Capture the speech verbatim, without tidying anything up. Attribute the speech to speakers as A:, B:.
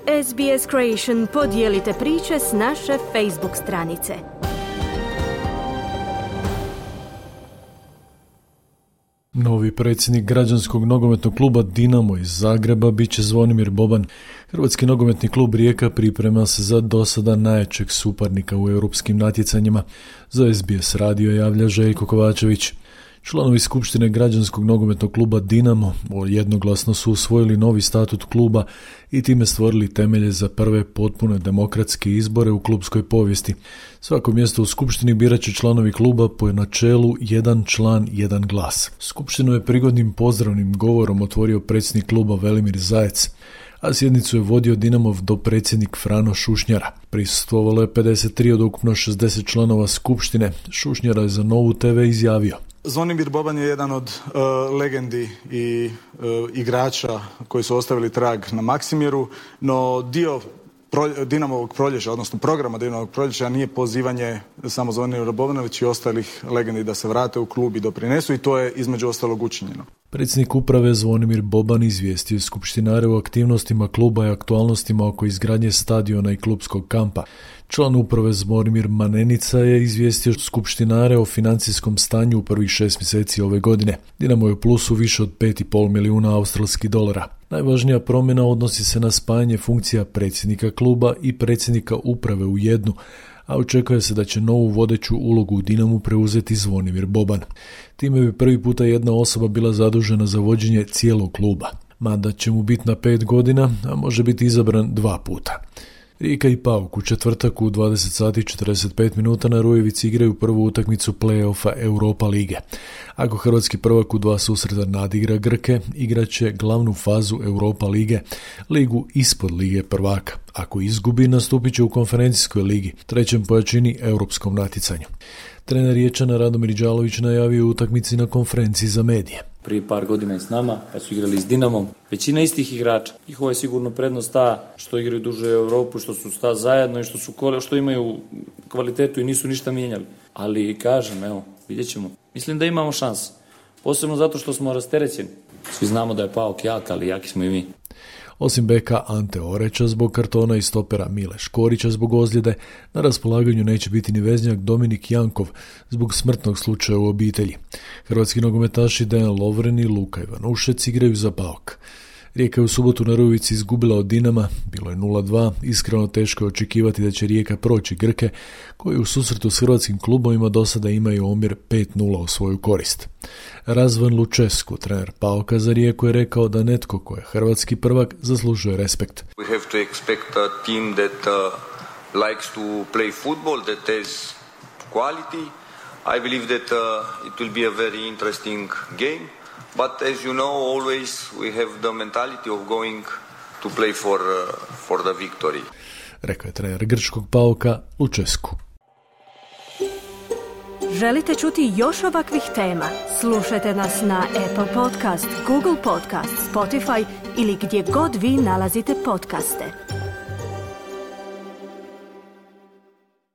A: S B S Creation podijelite priče s naše Facebook stranice.
B: Novi predsjednik građanskog nogometnog kluba Dinamo iz Zagreba bit će Zvonimir Boban. Hrvatski nogometni klub Rijeka priprema se za dosada najjačeg suparnika u europskim natjecanjima. Za S B S radio javlja Željko Kovačević. Članovi skupštine građanskog nogometnog kluba Dinamo jednoglasno su usvojili novi statut kluba i time stvorili temelje za prve potpune demokratske izbore u klubskoj povijesti. Svako mjesto u skupštini birat će članovi kluba po načelu jedan član, jedan glas. Skupštinu je prigodnim pozdravnim govorom otvorio predsjednik kluba Velimir Zajec, a sjednicu je vodio Dinamov dopredsjednik Frano Šušnjara. Prisustvovalo je pedeset tri od ukupno šezdeset članova skupštine. Šušnjara je za Novu te ve izjavio:
C: Zvonimir Boban je jedan od uh, legendi i uh, igrača koji su ostavili trag na Maksimiru, no dio pro, Dinamovog proljeća, odnosno programa Dinamovog proljeća nije pozivanje samo Zvonimira Bobana, već i ostalih legendi da se vrate u klub i doprinesu, i to je između ostalog učinjeno.
B: Predsjednik uprave Zvonimir Boban izvijestio skupštinare o aktivnostima kluba i aktualnostima oko izgradnje stadiona i klubskog kampa. Član uprave Zvonimir Manenica je izvijestio skupštinare o financijskom stanju u prvih šest mjeseci ove godine. Dinamo je u plusu više od pet i pol milijuna australskih dolara. Najvažnija promjena odnosi se na spajanje funkcija predsjednika kluba i predsjednika uprave u jednu, a očekuje se da će novu vodeću ulogu u Dinamu preuzeti Zvonimir Boban. Time bi prvi puta jedna osoba bila zadužena za vođenje cijelog kluba. Mandat će mu biti na pet godina, a može biti izabran dva puta. Rijeka i Pauk u četvrtak u dvadeset sati i četrdeset pet minuta na Rujevici igraju prvu utakmicu play-offa Europa lige. Ako hrvatski prvak u dva susreta nadigra Grke, igraće glavnu fazu Europa lige, ligu ispod lige prvaka. Ako izgubi, nastupit će u konferencijskoj ligi, trećem po jačini europskom natjecanju. Trener Riječana Radomir Đalović najavio utakmici na konferenciji za medije.
D: Prije par godina je s nama, kad su igrali s Dinamom, većina istih igrača. Njihova je sigurno prednost ta što igraju duže u Europu, što su sta zajedno i što su što imaju kvalitetu i nisu ništa mijenjali. Ali kažem, evo, vidjet ćemo. Mislim da imamo šanse. Posebno zato što smo rasterećeni. Svi znamo da je Pauk jak, ali jaki smo i mi.
B: Osim beka Ante Oreća zbog kartona i stopera Mile Škorića zbog ozljede, na raspolaganju neće biti ni veznjak Dominik Jankov zbog smrtnog slučaja u obitelji. Hrvatski nogometaši Dejan Lovren i Luka Ivanušec igraju za Pauk. Rijeka je u subotu na Rujevici izgubila od Dinama, bilo je nula dva, iskreno teško je očekivati da će Rijeka proći Grke, koji u susretu s hrvatskim klubovima do sada imaju omjer pet nula u svoju korist. Razvan Lučesku, trener Pauka za Rijeku, je rekao da netko ko je hrvatski prvak zaslužuje respekt.
E: We have to expect a team that uh, likes to play football, that has quality. I believe that uh, it will be a very interesting game. But as you know, always we have the mentality of going to play for, uh, for the victory.
B: Rekao je trener grčkog Pauka Lučesku.
A: Želite čuti još ovakvih tema? Slušajte nas na Apple Podcast, Google Podcast, Spotify ili gdje god vi nalazite podcaste.